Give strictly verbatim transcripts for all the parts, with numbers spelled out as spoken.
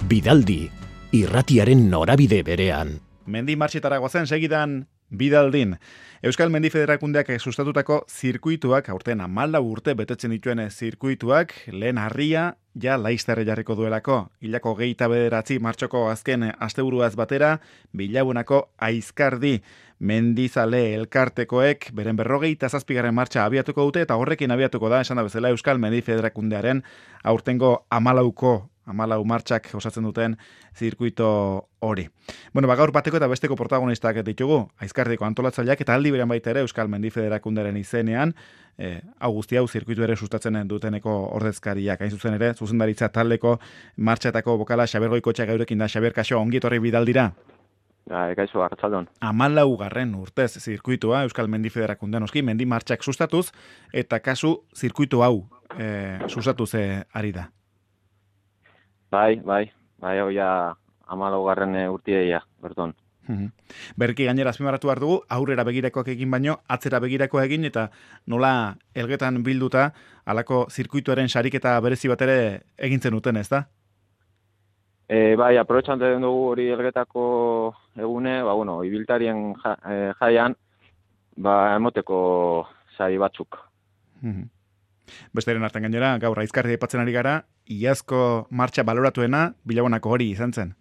Bidaldi, irratiaren norabide berean. Mendi martxetara goazen segidan Bidaldin. Euskal Mendi Federakundeak sustatutako zirkuituak, aurten hamalau urte betetzen dituen zirkuituak, lehen harria ja laizterre jarriko duelako. Hilako geita bederatzi martxoko azken asteburuaz batera, Bilabonako Aizkardi mendizale elkartekoek beren berrogeita zazpigarren martxa abiatuko dute, eta horrekin abiatuko da, esan da bezala, Euskal Mendi Federakundearen aurtengo hamalauko hamalau martxak osatzen duten zirkuito hori. Bueno, ba, gaur bateko eta besteko protagonistak ditugu, Aizkardiko antolatzaileak eta aldi berean baita ere Euskal Mendi Federakunderen izenean, eh, hau guzti hau zirkuitu ere sustatzen duteneko ordezkariak, hain zuzen ere, zuzendaritza taldeko martxatako bokala Xabier Goikotxea geurekin da. Xabier, kaixo, ongi etorri Bidaldira. Ga, kaixo, arratsaldon. Hamalau garren urtez zirkuitua Euskal Mendi Federakundean oski, mendi martxak sustatuz, eta kasu zirkuitu hau eh, sustatuz eh, ari da. Bai, bai, bai, hau ja hamalau garren urtideia, berton. Berki gainera azpimarratu behar dugu, aurrera begirakoak egin baino, atzera begirakoa egin, eta nola elgetan bilduta, halako zirkuituaren sariketa berezi bat ere egintzen duten, ez da? E, bai, aprobetxanten dugu hori elgetako egune, ba, bueno, ibiltarien ja, e, jaian, ba, emoteko sari batzuk. Besteren artean gainera, gaur Aizkardi aipatzen ari gara, iazko martxa baloratuena Bilabonako hori izan zen.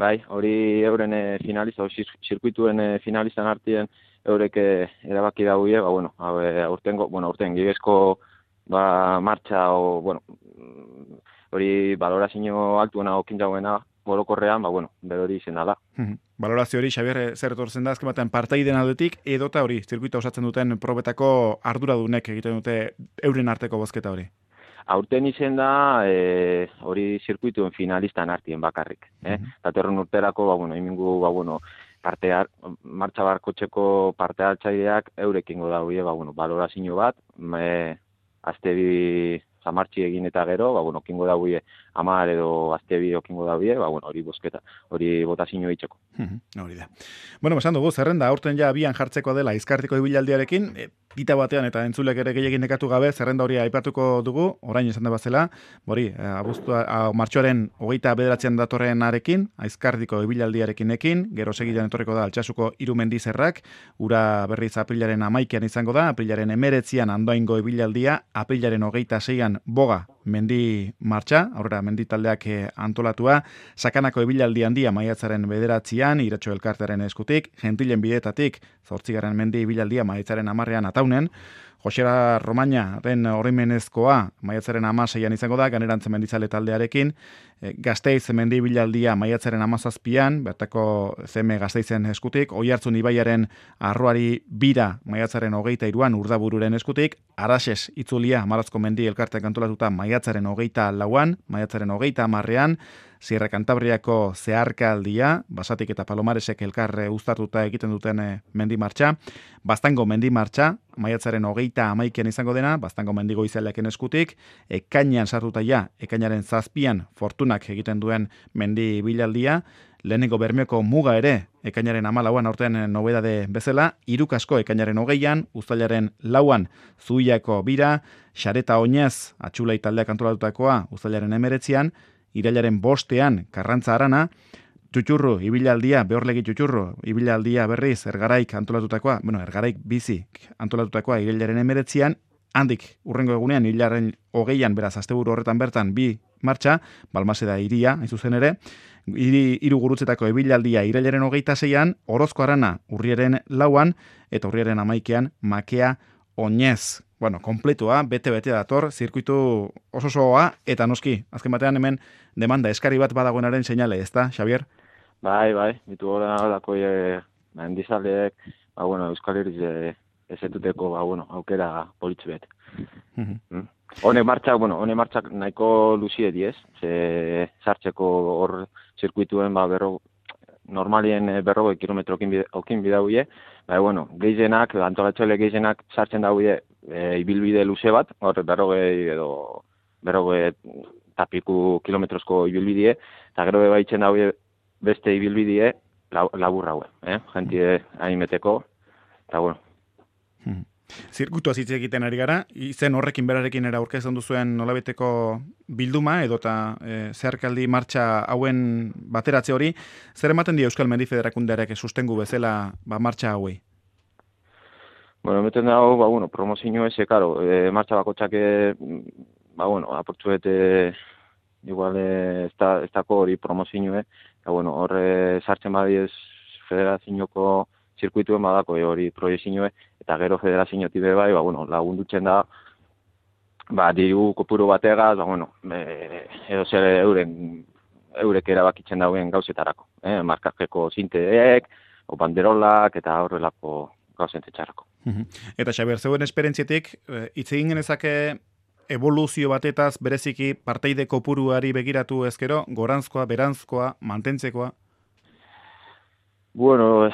Bai, hori euren e, finalista, zirkuituen e, finalistan artien eurek e, erabaki daude, ba, bueno, aurtengo, bueno, aurten gibezko ba, martxa, o, bueno, hori balorazio altuena okin jauena, borokorrean, ba, bueno, bero hori izen dala. Balorazio hori, Xabier, zer etortzen da, azken batean partaiden aldetik, edota hori, zirkuita osatzen duten probetako arduradunek egiten dute euren arteko bozketa hori? Aurten izen da, e, hori zirkuituen finalistan artien bakarrik. Eh? Mm-hmm. Datorren urterako, ba, bueno, imingu, ba, bueno, partear, martxa barkotxeko parte hartzaileak eurekingo daude, ba, bueno, balorazio bat, e, azte bi zamartxi egin eta gero, ba, bueno, kingo daude, amar edo azte bi okingo daude, ba, bueno, hori bozketa, hori botazio itxeko. Hori da. Bueno, esan dugu, zerrenda, aurten ja abian jartzeko dela Aizkardiko ibilaldiarekin, e, pita batean eta entzulek ere gehiagin nekatu gabe, zerrenda hori aipatuko dugu, orain esan da bazela, hori, abuztua, martxoaren hogeita bederatzean datorren arekin, Aizkardiko ibilaldiarekin ekin, gero segidan etorriko da Altsasuko hiru mendizerrak, ura berriz aprilaren amaikian izango da, aprilaren emeretzian Andoaingo ibilaldia, aprilaren hogeita seian boga mendi martxa, aurrera mendi taldeak antolatua, Sakanako ibilaldi handia maiatzaren bederatzian, Iratxo elkartearen eskutik, Gentilen bidetatik, zortzigarren mendi ibilaldia maiatzaren amarrean ataunen, Josera Romañaren oroimenezkoa maiatzaren amaseian izango da, Ganerantze mendizale taldearekin, Gasteiz mendi ibilaldia maiatzaren amazazpian, bertako zeme Gasteizen eskutik, Oiartzun ibaiaren arroari bira maiatzaren hogeita iruan urdabururen eskutik, Araxes itzulia Marazko mendi elkarteak antolatuta maiatzaren hogeita lauan, maiatzaren hogeita amarrean, Sierra Cantabriako zeharkaldia, Basatik eta Palomaresek elkarre uztartuta egiten duten e, mendi martxa, Baztango mendi martxa, maiatzaren hogeita amaikian izango dena, Baztango mendigo izaleaken eskutik, ekainean sartuta ja, ekainaren zazpian fortunak egiten duen mendi bilaldia, lehenengo Bermeoko muga ere, ekainaren amalauan aurten nobedade bezala, Irukasko ekainaren hogeian, Uztailaren lauan, Zuiako bira, Xareta Oinez, Atxulai taldeak antolatutakoa, Uztailaren emeretzian, Irailaren bostean, Karrantza Arana, Txutxurru, ibilaldia, behorlegi Txutxurru, ibilaldia berriz, Ergaraik antolatutakoa, bueno, Ergaraik bizi antolatutakoa, Irailaren emeretzian, handik, urrengo egunean, Irailaren hogeian, beraz, asteburu horretan bertan, bi martxa, Balmaseda iria, hain zuzen ere, Iri, hiru gurutzetako ibilaldia Irailaren hogeita zeian, Orozko Arana, urriaren lauan, eta urriaren amaikean, Makea Oinez. Bueno, kompletua, bete-bete dator, zirkuitu ososoa, eta noski, azken batean hemen demanda eskari bat badagoenaren seinale, ez da, Xabier? Bai, bai, bitu gora lako e, mendizaleek, ba, bueno, Euskal Herriz e, ezetuteko, ba, bueno, aukera politz bet. Mm-hmm. Mm? Hone martxak, bueno, hone martxak nahiko luzie diez, ze sartzeko hor zirkuituen, ba, berro, normalien berrogei kilometro okin bidauie, ba, bueno, gehienak, antolatxoile gehienak sartzen daude e, ibilbide luze bat, hor berrogei edo berrogei tapiku kilometrozko ibilbidie, eta gero baitzen daude beste ibilbidie laburra haue, eh? Jentie hain meteko, eta bueno. Hmm. Zirkutua hitz egiten ari gara, izen horrekin berarekin era aurkezten duzuen nolabeteko bilduma edota e, zeharkaldi martxa hauen bateratze hori, zer ematen die Euskal Mendi Federakundearek sustengu bezala ba, martxa hauei? Bueno, meten dago, ba, bueno, promozio eze, karo, e, martxa bakotxak, ba, bueno, aportzuet, e, igual, ez da, ez dako hori promozioe, eta, bueno, horre sartzen badiez federazioko zirkuituen badako e, hori proiezioe, eta gero federazioetik be bai, ba, bueno, lagundutzen da, ba, diru kopuru bategaz, ba, bueno, e, edo zer euren, eurek erabakitzen dauen gauzetarako, eh, markajeko zinteek, o banderolak, eta horrelako gauzentetxarako. Eta Xabier, zeuen esperientzietik, hitz egin genezake evoluzio batetaz bereziki parteide kopuruari begiratu ezkero, goranzkoa, beranzkoa, mantentzekoa? Bueno,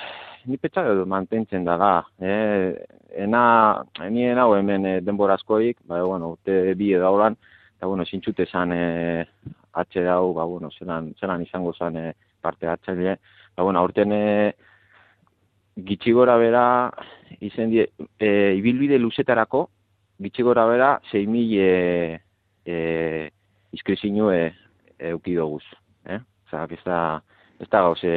ni petxa mantentzen daga. Eh, ena, nien hau hemen eh, denborazkoik, ba, bueno, urte bi edo hauran, eta, bueno, zintxute zan eh, atxe dau, ba, bueno, zelan, zelan izango zan eh, parte atxaile. Ba, bueno, aurten eh, gitxigora bera, izen die, e, ibilbide luzetarako, gitxigora bera, sei mil e, e, izkrizinu e, eukidoguz. Eh? Osa, ez da, ez da gauze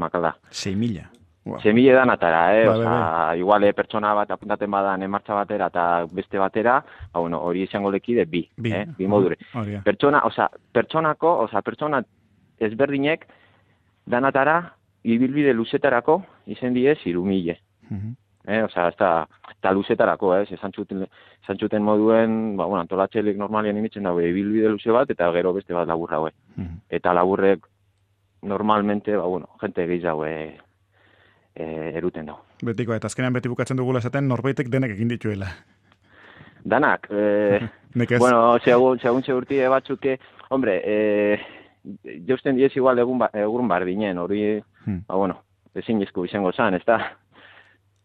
makala. sei mila? Wow. sei mila danatara, eh? Ba, Osa, igual e, pertsona bat apuntaten badan martxa batera eta beste batera, ba, bueno, hori izango lekide bi, bi, eh? bi modure. Oh, pertsona, osa, pertsonako, osa, pertsona ezberdinek danatara, ibilbide luzetarako izen diez hiru mila. Uh-huh. Eh, osea, eta, eta luzetarako, eh, esan txuten moduen, ba, bueno, antolatxelik normalien imitzen dago, ibilbide luze bat, eta gero beste bat laburra, eh. Uh-huh. Eta laburrek, normalmente, ba, bueno, jente gehiago eh, eh, eruten dago. Betiko, eta azkenean beti bukatzen dugula esaten, norbaitek denek egin dituela. Danak, eh, bueno, segun, segun segurti batzuke, hombre, eh, jausten diez igual egun, ba, egun bardinen, hori, hmm. ba, bueno, ezin izku izango zan, ez da?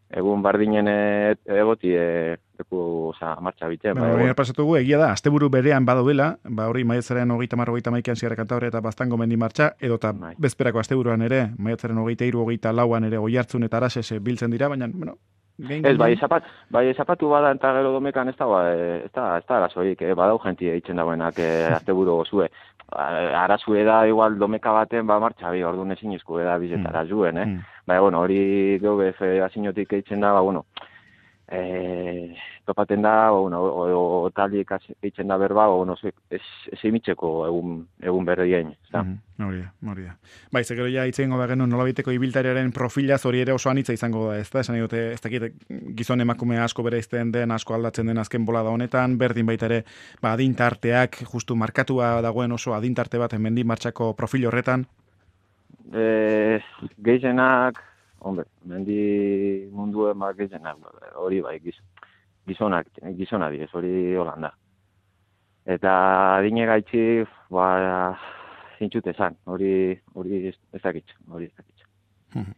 Egun bardinen egoti e, leku, oza, martxa biten. Bueno, ba, pasatugu, egia da, asteburu berean badauela, ba hori maiatzaren hogeita mar, hogeita maikan Sierra Cantabria eta Baztango mendi martxa, edota bai. Bezperako asteburuan ere, maiatzaren hogeita hiru, hogeita lauan ere Oiartzun eta Arases biltzen dira, baina, bueno, Gain, ez, bai, zapat, bai, zapatu bada eta gero domekan ez da, ez da, ez da arazoik, eh? Badau jentia eitzen dagoenak eh, asteburu gozue. Arazue da, igual, domeka baten, ba, martxa bi, orduan ezin izku da bizetara mm. zuen, eh? Mm. Ba, bueno, hori gobe federaziotik eitzen da, ba, bueno, eh, topaten da, ba, bueno, o, o, o taliek eitzen da berba, ba, bueno, ez emitzeko egun, egun berrien, ez da? Mm. Hori da, hori da. Bai, zekero ja itzen goba genuen nolabiteko ibiltariaren profilaz hori ere oso anitza izango da, ez da? Esan dute, ez dakit gizon emakume asko bereizten den, asko aldatzen den azken bolada honetan, berdin baita ere, ba, adintarteak, justu markatua dagoen oso adintarte bat mendi martxako profil horretan? E, gehienak, hombre, mendi munduen ba, gehienak, hori bai, giz, gizonak, gizona diez, hori Holanda. Eta adine gaitzi, ba, zintxute zan, hori, hori ez dakitz, hori ez dakitz. Hmm.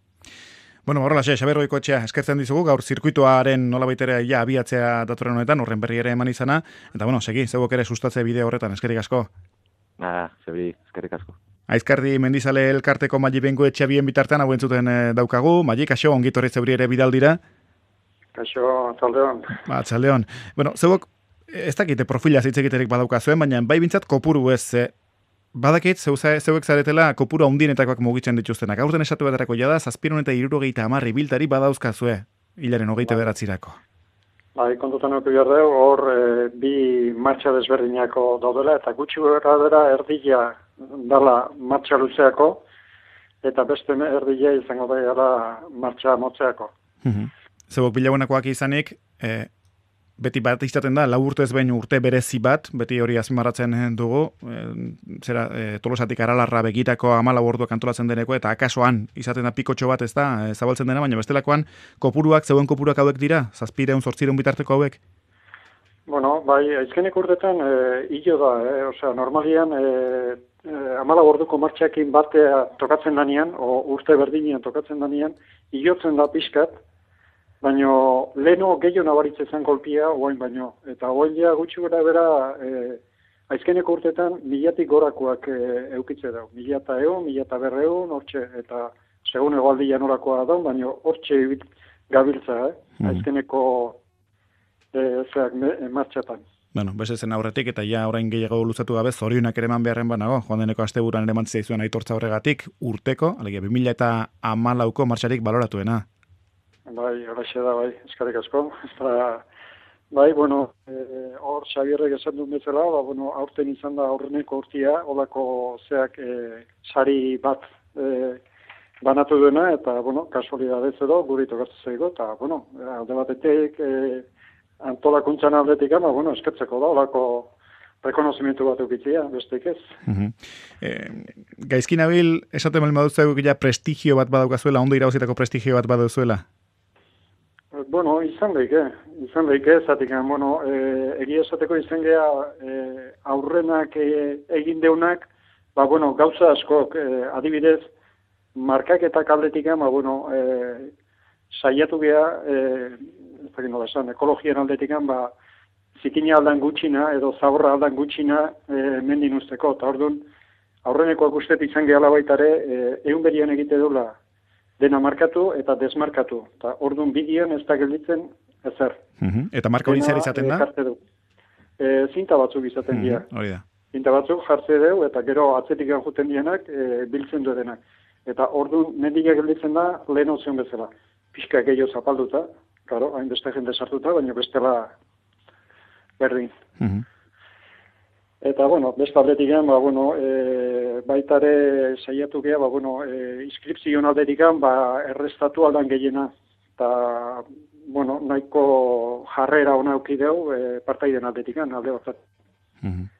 Bueno, horrela, xe, Xabier Goikoetxea, eskertzen dizugu, gaur zirkuituaren nola baitere ja abiatzea datoren honetan, horren berri ere eman izana, eta bueno, segi, zegoek ere sustatze bideo horretan, eskerrik asko. Ah, zebri, eskerrik asko. Aizkardi Mendizale elkarteko Mali Bengoetxea bien bitartean hauen zuten e, daukagu, Mali, kaixo, ongitorri zeuri ere bidaldira. Kaixo, txaldeon. Ba, txaldeon. Bueno, zegoek, ez dakite profila zitzekiterik badaukazuen, baina bai bintzat kopuru ez, e, badakit, zeuek zaretela kopuru handienetakoak mugitzen dituztenak. Aurten esatu baterako jada, zazpiron eta irurogeita amarri biltari badauzkazue, hilaren hogeita beratzirako. Bai, kontutan eko jardeu, hor e, bi martxa desberdinako daudela, eta gutxi gara dira erdila dala martxa luzeako, eta beste erdila izango da gara martxa motzeako. Mm-hmm. Zebok bilauenakoak izanik, e, beti bat izaten da, lau urte ez behin urte berezi bat, beti hori azpimarratzen dugu, e, zera, e, Tolosatik Aralarra begitako hamalau orduak antolatzen deneko, eta akasoan izaten da pikotxo bat ez da, e, zabaltzen dena, baina bestelakoan kopuruak, zeuen kopuruak hauek dira, zazpireun, zortzireun bitarteko hauek? Bueno, bai, aizkenek urtetan e, hilo da, eh? Osea, normalian e, e, hamalau orduko martxakin batea tokatzen danean, o urte berdinean tokatzen danean, hilotzen da pixkat, baina leheno gehiago nabaritze zen kolpia, oain baino. Eta oain ja gutxi gara bera, e, aizkeneko urtetan milatik gorakoak e, eukitze dau. Mila eta egun, mila eta berreun, hortxe, eta segun egoaldi janorakoa da, baina hortxe gabiltza, eh? Mm. Aizkeneko e, zeak me, martxatan. Bueno, beste zen aurretik eta ja orain gehiago luzatu gabe zorionak ere eman beharren banago. Joan deneko asteburuan ere eman zizuen aitortza horregatik urteko, alegia bi mila hamalauko martxarik baloratuena. Bai, horaxe da, bai, eskarrik asko. Eta, bai, bueno, e, hor Xabierrek esan duen bezala, ba, bueno, aurten izan da aurreneko urtia, holako zeak e, sari bat e, banatu duena, eta, bueno, kasualidadez edo, guri tokatzen zaigo, eta, bueno, alde batetik e, antolakuntzan aldetik, ama, bueno, eskertzeko da, holako rekonozimentu bat eukitzia, besteik ez. Uh-huh. E, gaizkin abil, esaten bali maduzu ja prestigio bat badaukazuela, ondo irauzitako prestigio bat badauzuela? Bueno, izan lehike, izan lehike, zatik, bueno, e, egia esateko izan geha e, aurrenak e, egin deunak, ba, bueno, gauza askok, e, adibidez, markaketak aldetik, ba, bueno, e, saiatu geha, e, ez dakit nola esan, ekologian aldetik, ba, zikina aldan gutxina, edo zaborra aldan gutxina e, mendin usteko, eta orduan, aurrenekoak ustet izan gehala baitare, e, egun berian egite dula, dena markatu eta desmarkatu. Eta orduan bidean ez da gelditzen ezer. Uh-huh. Eta marka hori zer izaten da? E, zinta batzuk izaten dira. Uh-huh. Hori da. Zinta batzuk jartze dugu eta gero atzetik juten dienak e, biltzen du denak. Eta orduan mendiak gelditzen da lehen ozion bezala. Pixka gehiago zapalduta, karo, hain beste jende sartuta, baina bestela berdin. Uh-huh. Eta, bueno, beste aldetik ba, bueno, e, baitare saiatu geha, ba, bueno, e, inskripzion aldetik ba, errestatu aldan gehiena. Eta, bueno, nahiko jarrera hona eukideu, e, partaiden aldetik, alde batzat. Mm-hmm.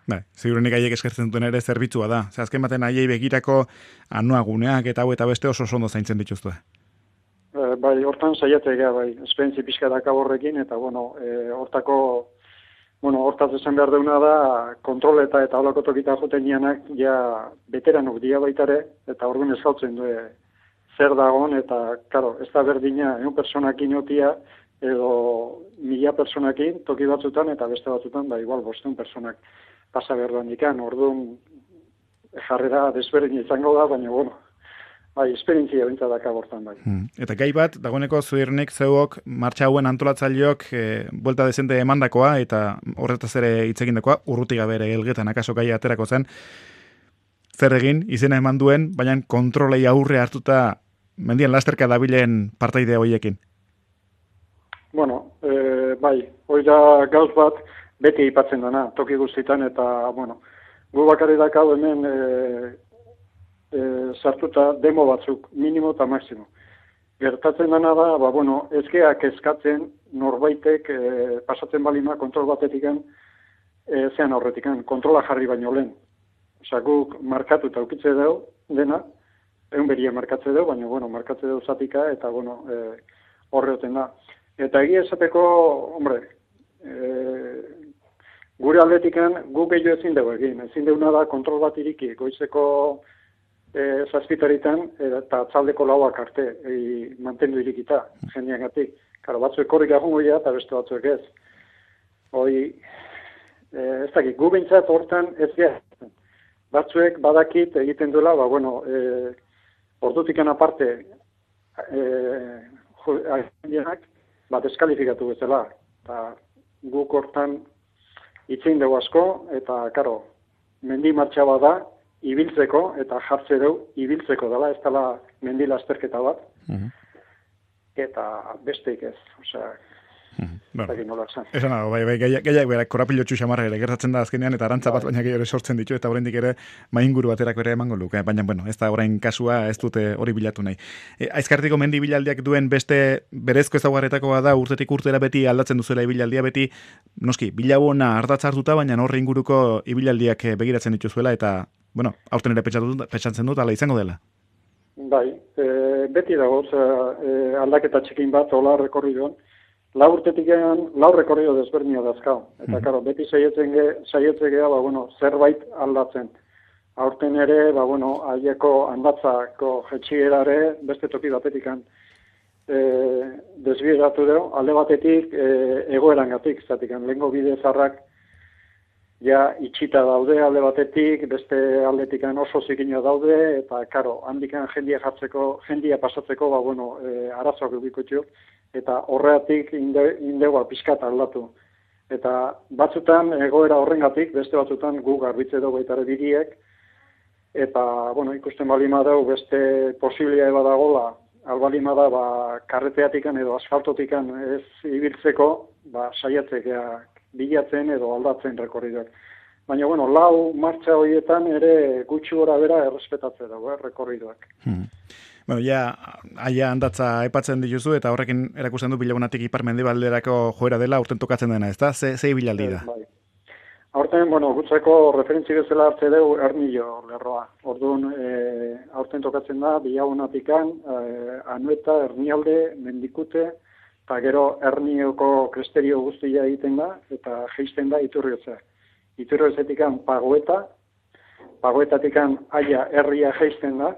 Bai, ziurenik haiek eskertzen duten ere zerbitzua da. Zer, azken baten haiei begirako anuaguneak eta hau eta beste oso ondo zaintzen dituztu. E, bai, hortan saiatu geha, bai, esperientzi pixka daka horrekin, eta, bueno, e, hortako... Bueno, hortaz esan behar deuna da, kontroleta eta holako tokita joten nianak, ja, veteranok dia baitare, eta orduan ezautzen du zer dagoen, eta, karo, ez da berdina, egun personakin otia, edo mila personakin, toki batzutan, eta beste batzutan, ba, igual, bostun personak pasa behar duan ikan, orduan jarrera desberdin izango da, baina, bueno, bai, esperientzia bintzat daka bortan, bai. Hmm. Eta gai bat, dagoeneko zuirnik zeuok martxa hauen antolatzaileok e, buelta dezente emandakoa eta horretaz ere hitzegindakoa, urruti gabe ere gelgetan akaso gai aterako zen, zer egin, izena eman duen, baina kontrolei aurre hartuta mendian lasterka dabilen partaide hoiekin? Bueno, e, bai, hori da gauz bat beti aipatzen dana, toki guztitan, eta, bueno, gu bakarri dakau hemen e, E, sartuta demo batzuk, minimo eta maximo. Gertatzen dena da, ba, bueno, ezkeak eskatzen norbaitek e, pasatzen balima kontrol batetikan, e, zean aurretikan, kontrola jarri baino lehen. Osa, guk markatu eta ukitze dugu, dena, egun beria markatze dugu, baina, bueno, markatze dugu zatika, eta, bueno, e, horreoten da. Eta egia esateko, hombre, e, gure aldetikan guk gehiago ezin dugu egin. Ezin duguna da kontrol bat iriki, goizeko E, zazpitaritan eta atzaldeko lauak arte e, mantendu irikita jendeagatik. Karo, batzuek korrik agungo dira eta beste batzuek ez. Hoi, e, ez dakit, gu behintzat hortan ez gara. Batzuek badakit egiten duela, ba, bueno, e, ordutikan aparte e, jendeak bat eskalifikatu bezala. Eta guk hortan itzein dugu asko, eta, karo, mendi martxa bada, ibiltzeko, eta jartze dugu, ibiltzeko dela, ez dela mendi lasterketa bat, uh-huh. Eta besteik ez, osea, uh-huh. Bueno, nola esan. Esan dago, bai, bai, gaiak berak korapilotxu xamarra ere gertatzen da azkenean, eta arantza bat baina gehiago sortzen ditu, eta oraindik ere mainguru baterako ere emango luke, baina, bueno, ez da orain kasua, ez dute hori bilatu nahi. E, Aizkartiko mendi bilaldiak duen beste berezko ezaugarretakoa da, urtetik urtera beti aldatzen duzuela ibilaldia, beti, noski, bilabona hartatza hartuta, baina horre inguruko ibilaldiak begiratzen dituzuela, eta bueno, aurten ere petxatzen dut, ala izango dela. Bai, e, beti dago, e, aldaketa txikin bat, hola rekorridoan, lau urtetik egan, lau rekorrido desberdina dazkau. Eta, mm. karo, beti saietzen ge, saietzen gea, ba, bueno, zerbait aldatzen. Aurten ere, ba, bueno, haieko handatzako jetxierare beste toki batetikan e, desbieratu dugu, alde batetik e, egoerangatik, zatikan, lehengo bide zarrak ja itxita daude alde batetik, beste aldetikan oso zikina daude, eta karo, handikan jendia jartzeko, jendia pasatzeko, ba, bueno, e, arazoak edukotxo, eta horreatik inde, indegua pixkat aldatu. Eta batzutan egoera horrengatik, beste batzutan gu garbitze dugu baitare biriek, eta, bueno, ikusten balima dugu beste posibilia eba dagola, albalima da, ba, karreteatikan edo asfaltotikan ez ibiltzeko, ba, saiatzea bilatzen edo aldatzen rekorridoak. Baina, bueno, lau martxa horietan ere gutxi gora bera errespetatze dago, eh, rekorridoak. Hmm. Bueno, ja, aia handatza epatzen dituzu, eta horrekin erakusten du Bilagunatik ipar mendebalderako joera dela urten tokatzen dena, ezta? Ze, ze ibilaldi da? Bai. Aurten, bueno, gutzeko referentzi bezala hartze dugu Ernillo lerroa. Orduan, e, aurten tokatzen da, Bilagunatikan, e, Anoeta, Ernialde, Mendikute, eta gero Ernioko kresterio guztia egiten da, eta geisten da Iturriotza. Iturriotzetik Pagoeta, Pagoetatikan Aia herria geisten da,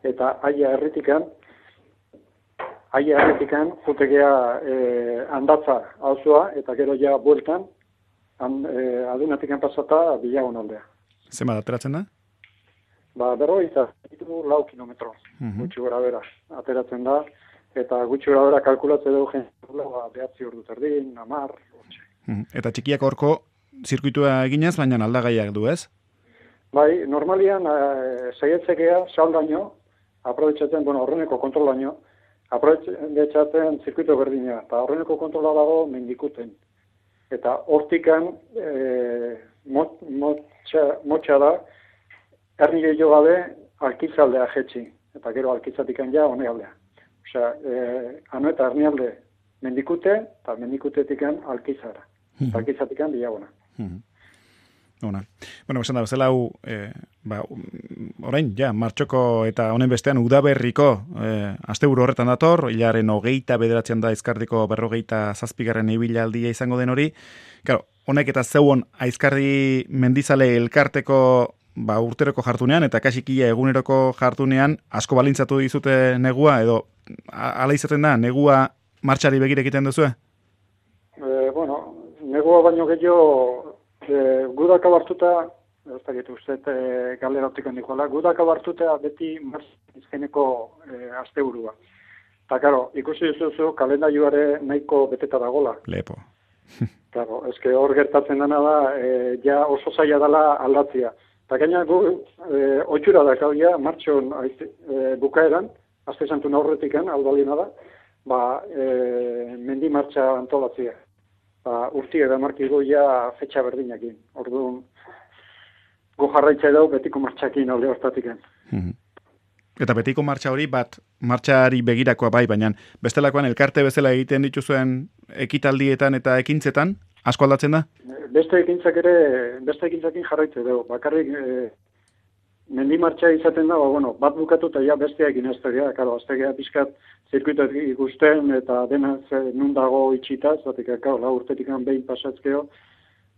eta Aia herritikan, Aia herritikan jutegea e, handatza auzua, eta gero ja bueltan, han, e, adunatikan pasata Bilagun aldea. Zema ateratzen da? Ba, berroi eta ditu lau kilometro, uh-huh. Gutxi gora bera, ateratzen da, eta gutxi gora bera kalkulatze dugu jendela, ba, behatzi ordu terdin, amar, gutxi. Uh-huh. Eta txikiak horko zirkuitua eginez, baina aldagaiak du, ez? Bai, normalian, e, saietzekea, saldaino, aprobetxatzen, bueno, horreneko kontrolaino, aprobetxatzen zirkuito berdina, eta horreneko kontrola dago Mendikuten. Eta hortikan, e, mot, motxa, motxa da, Ernile jo gabe, alkizaldea jetxi, eta gero alkizatikan ja, hone aldea. Osea, e, Anoeta Ernialde Mendikute, eta Mendikutetikan alkizara. Eta alkizatikan Bilaguna. Ona. Bueno, esan da, bezala hau, e, ba, orain, ja, martxoko eta honen bestean udaberriko e, asteburu horretan dator, hilaren hogeita bederatzean da Aizkardiko berrogeita zazpigarren ibilaldia izango den hori. Claro, honek eta zeuon Aizkardi Mendizale elkarteko ba, urteroko jartunean eta kasik ia eguneroko jartunean asko balintzatu dizute negua, edo ala izaten da, negua martxari begire egiten duzue? E, bueno, negua baino gehiago E, gudak abartuta, ez da gitu uste, e, galera optikan dikola, gudak abartuta beti marzizkeneko e, asteburua. Eta, karo, ikusi duzu kalendarioare nahiko beteta dagola. Lepo. Claro, eske hor gertatzen dena da, e, ja oso zaila dela aldatzia. Eta gaina gu, e, otxura da, kau ja, martxon e, bukaeran, aste santun aurretikan, aldalina da, ba, e, mendi martxa antolatzia. Ba, urti eda markigo ja fetxa berdinakin. Orduan, go jarraitza edau betiko martxakin alde hortatiken. Mm-hmm. Eta betiko martxa hori bat martxari begirakoa bai, baina bestelakoan elkarte bezala egiten dituzuen ekitaldietan eta ekintzetan, asko aldatzen da? Beste ekintzak ere, beste ekintzakin jarraitza edau. Bakarrik, e, mendi martxa izaten da, ba, bueno, bat bukatu eta ja besteak inaztegia, karo, aztegea pixkat zirkuitak ikusten eta dena nun dago itxita, zatik, karo, la urtetikan behin pasatzkeo,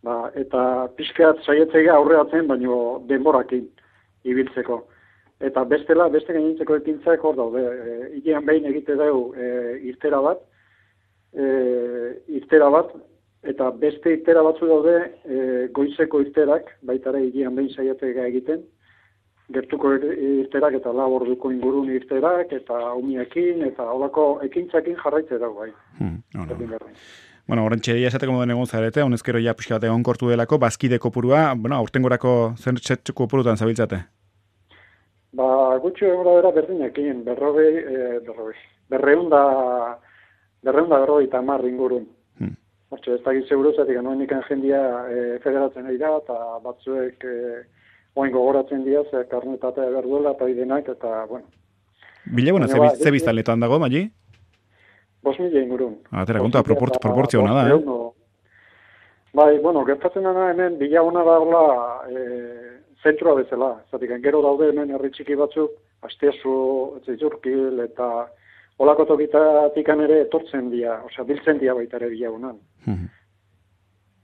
ba, eta pixkat saietzea aurreatzen, baino denborakin ibiltzeko. Eta bestela, beste gainentzeko ekintzak hor daude, e, hilean behin egite dugu e, irtera bat, e, irtera bat, eta beste irtera batzu daude e, goizeko irterak, baitare hilean behin saietzea egiten, gertuko irterak eta lau orduko ingurun irterak eta umiekin eta holako ekintzakin jarraitze dago bai. Hmm, no, no. Bueno, orentxe esateko moden egon zarete, honezkero ja pixka bat egon kortu delako, bazkide kopurua, bueno, aurtengorako zer txetxuko kopurutan zabiltzate? Ba, gutxo egora bera berdinekin, berrogei, e, berrogei, berreunda, berreunda berrogei eta mar ingurun. Hmm. Hortxe, ez dakit seguruzatik, anoen ikan jendia e, federatzen ari da, eta batzuek e, oain gogoratzen dira, ze karnetatea berduela, eta idenak, eta, bueno. Bilaguna, ze, ze biztanletan dago, Mali? Bos mila ingurun. Atera, konta, proportzio hona da, eh? Bai, bueno, gertatzen dena hemen, Bilaguna dagoela e, zentrua bezala. Zatik, gero daude hemen herri txiki batzuk, Asteazu, Zizurkil, eta olako tokitatikan ere etortzen dira, osea, biltzen dira baita ere Bilagunan.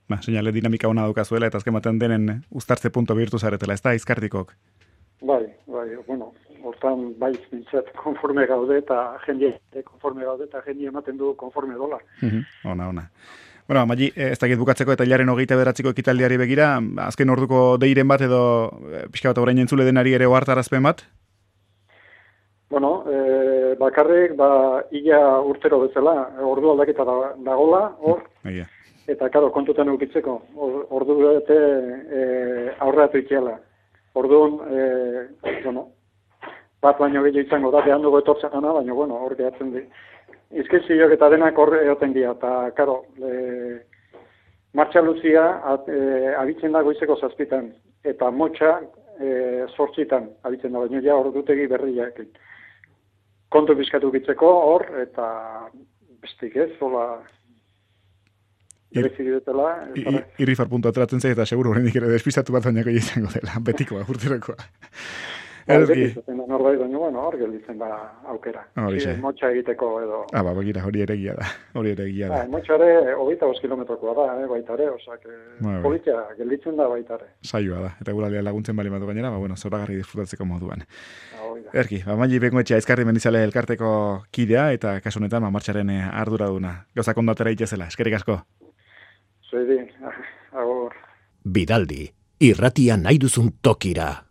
Ba, seinale dinamika hona daukazuela eta azken baten denen uztartze punto bihurtu zaretela, ez da Aizkardikok? Bai, bai, bueno, hortan bai nintzat konforme gaude eta jendie konforme gaude eta jendie ematen du konforme dola. Ona, ona. Bueno, Magi, ez dakit bukatzeko eta hilaren hogeita beratziko ekitaldiari begira, azken orduko deiren bat edo pixka bat orain entzule denari ere ohartarazpen bat? Bueno, e, bakarrik, ba, ia urtero bezala, ordu aldaketa da, dagola, hor, Egia. eta, karo, kontutan eukitzeko, or, ordu bete e, aurreatu ikiela. Orduan, e, bueno, bat baino gehiago izango da, behan dugu etortzen gana, baina, bueno, hor gehatzen di. Izkizioak eta denak hor egoten dira, eta, karo, e, martxa luzia at, e, abitzen da goizeko zazpitan, eta motxa e, sortzitan abitzen da, baina ja ordutegi berriak. Kontu bizkatu bitzeko hor, eta bestik ez, zola berezik dutela. Irrifar puntu ateratzen zait, eta seguro horrendik ere despistatu bat bainako izango dela, betikoa, urterokoa. Erki. Norbait baino, bueno, hor gelditzen da aukera. Hori xe. Motxa egiteko edo. Ah, ba, begira, hori ere egia da. Hori ere egia da. Ah, motxa ere, hogeita bost kilometrokoa da, eh, baita ere, osak, politia gelditzen da baita ere. Saioa da, eta guraldia laguntzen bali badu gainera, ba, bueno, zoragarri disfrutatzeko moduan. Ah, Erki, ba, Magi Bengoetxea Aizkarri Mendizale elkarteko kidea, eta kasu honetan, ba, martxaren arduraduna. Gauzak ondo atera itxezela, eskerrik asko. Zuedi, agur. Bidaldi, irratia nahi duzun tokira.